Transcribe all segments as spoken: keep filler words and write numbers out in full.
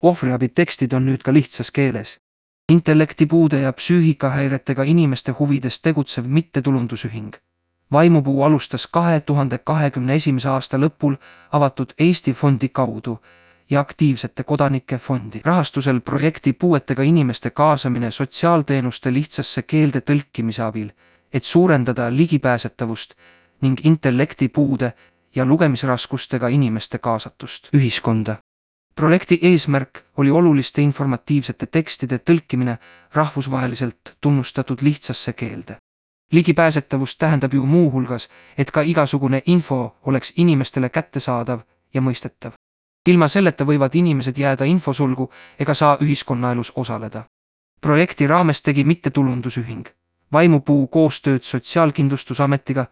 Ohvriabi tekstid on nüüd ka lihtsas keeles. Intellektipuude ja psüühikahäiretega inimeste huvides tegutsev mittetulundusühing. Vaimupuu alustas kahe tuhande kahekümne esimese aasta lõpul avatud Eesti fondi kaudu ja aktiivsete kodanike fondi rahastusel projekti puuetega inimeste kaasamine sotsiaalteenuste lihtsasse keelde tõlkimise abil, et suurendada ligipääsetavust ning intellektipuude ja lugemisraskustega inimeste kaasatust ühiskonda. Projekti eesmärk oli oluliste informatiivsete tekstide tõlkimine rahvusvaheliselt tunnustatud lihtsasse keelde. Ligipääsetavus tähendab ju muu hulgas, et ka igasugune info oleks inimestele kättesaadav ja mõistetav. Ilma selleta võivad inimesed jääda infosulgu ega saa ühiskonnaelus osaleda. Projekti raames tegi mittetulundusühing Vaimupuu koostööd Sotsiaalkindlustusametiga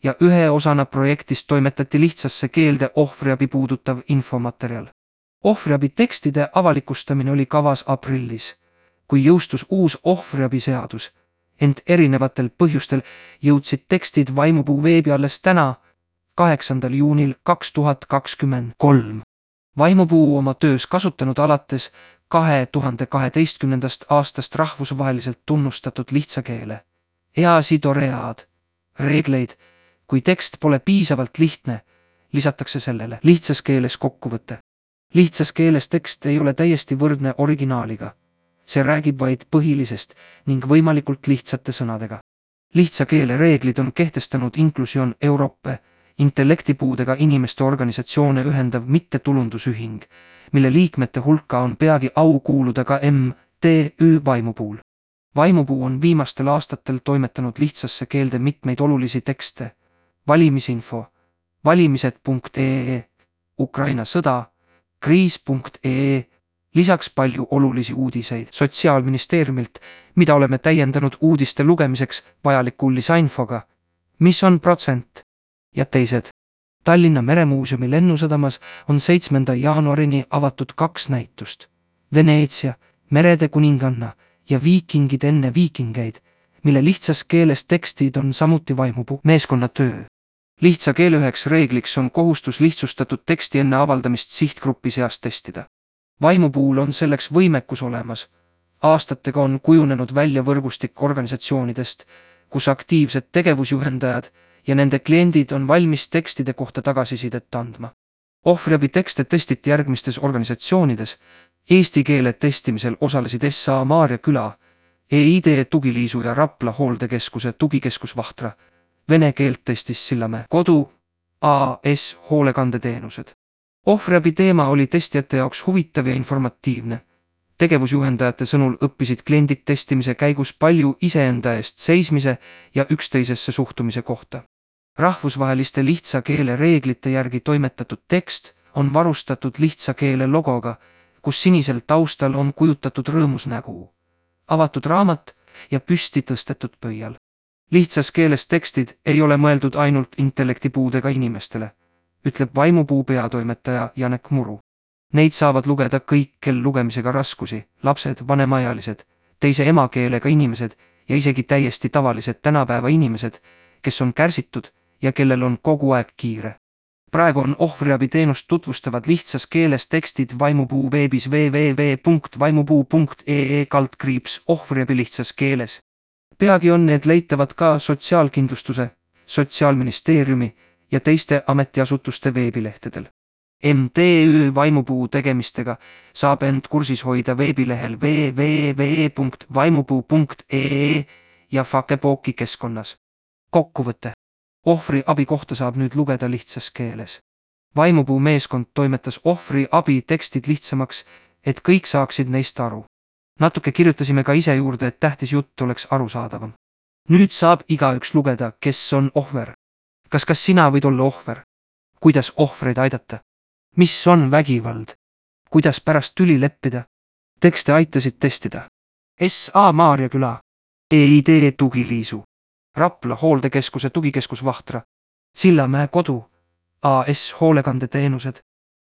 ja ühe osana projektist toimetati lihtsasse keelde ohvriabi puudutav infomaterjal. Ohvriabi tekstide avalikustamine oli kavas aprillis, kui jõustus uus ohvriabi seadus, ent erinevatel põhjustel jõudsid tekstid Vaimupuu veebi alles täna, kaheksandal juunil kaks tuhat kakskümmend kolm. Vaimupuu oma töös kasutanud alates kahe tuhande kaheteistkümnendast aastast rahvusvaheliselt tunnustatud lihtsa keele EASI-toread reegleid, kui tekst pole piisavalt lihtne, lisatakse sellele lihtsas keeles kokkuvõte. Lihtsas keeles tekst ei ole täiesti võrdne originaaliga. See räägib vaid põhilisest ning võimalikult lihtsate sõnadega. Lihtsa keele reeglid on kehtestanud Inclusion Europe, intellektipuudega inimeste organisatsioone ühendav mittetulundusühing, mille liikmete hulka on peagi au kuuluda ka M T Ü Vaimupuul. Vaimupuu on viimastel aastatel toimetanud lihtsasse keelde mitmeid olulisi tekste, valimisinfo, valimised punkt ee, Ukraina sõda, kriis punkt ee, lisaks palju olulisi uudiseid Sotsiaalministeeriumilt, mida oleme täiendanud uudiste lugemiseks vajaliku lisainfoga, mis on protsent ja teised. Tallinna Meremuuseumi lennusadamas on seitsmenda jaanuarini avatud kaks näitust, Veneetsia, merede kuninganna ja viikingid enne viikingeid, mille lihtsas keeles tekstid on samuti Vaimupuu meeskonna töö. Lihtsa keele üheks reegliks on kohustus lihtsustatud teksti enne avaldamist sihtgrupi seas testida. Vaimupuul on selleks võimekus olemas. Aastatega on kujunenud välja võrgustik organisatsioonidest, kus aktiivsed tegevusjuhendajad ja nende kliendid on valmis tekstide kohta tagasisidet andma. Ohvriabi tekste testiti järgmistes organisatsioonides. Eesti keele testimisel osalesid S A Maarja küla, E I D tugiliisu ja Rapla hooldekeskuse tugikeskus Vahtra, vene keelt testis Sillamäe kodu, A S hoolekandeteenused. Ohvriabi teema oli testijate jaoks huvitav ja informatiivne. Tegevusjuhendajate sõnul õppisid kliendid testimise käigus palju iseenda eest seismise ja üksteisesse suhtumise kohta. Rahvusvaheliste lihtsa keele reeglite järgi toimetatud tekst on varustatud lihtsa keele logoga, kus sinisel taustal on kujutatud rõõmus nägu, avatud raamat ja püsti tõstetud pöial. Lihtsas keeles tekstid ei ole mõeldud ainult intellektipuudega inimestele, ütleb Vaimupuu peatoimetaja Janek Muru. Neid saavad lugeda kõik, kel lugemisega raskusi, lapsed, vanemaealised, teise emakeelega inimesed ja isegi täiesti tavalised tänapäeva inimesed, kes on kärsitud ja kellel on kogu aeg kiire. Praegu on ohvriabi teenust tutvustavad lihtsas keeles tekstid Vaimupuu veebis w w w punkt vaimupuu punkt ee kaldkriips ohvriabi lihtsas keeles. Peagi on need leitavad ka Sotsiaalkindlustuse, Sotsiaalministeeriumi ja teiste ametiasutuste veebilehtedel. M T Ü Vaimupuu tegemistega saab end kursis hoida veebilehel w w w punkt vaimupuu punkt ee ja Fakepooki keskkonnas. Kokkuvõte. Ohvri abi kohta saab nüüd lugeda lihtsas keeles. Vaimupuu meeskond toimetas ohvri abi tekstid lihtsamaks, et kõik saaksid neist aru. Natuke kirjutasime ka ise juurde, et tähtis jutt oleks arusaadavam. Nüüd saab igaüks lugeda, kes on ohver. Kas kas sina võid olla ohver? Kuidas ohvreid aidata? Mis on vägivald? Kuidas pärast tüli leppida? Tekste aitasid testida. S A Maarja küla, E I D tugiliisu, Rapla hooldekeskuse tugikeskus Vahtra, Sillamäe kodu, A S hoolekandeteenused,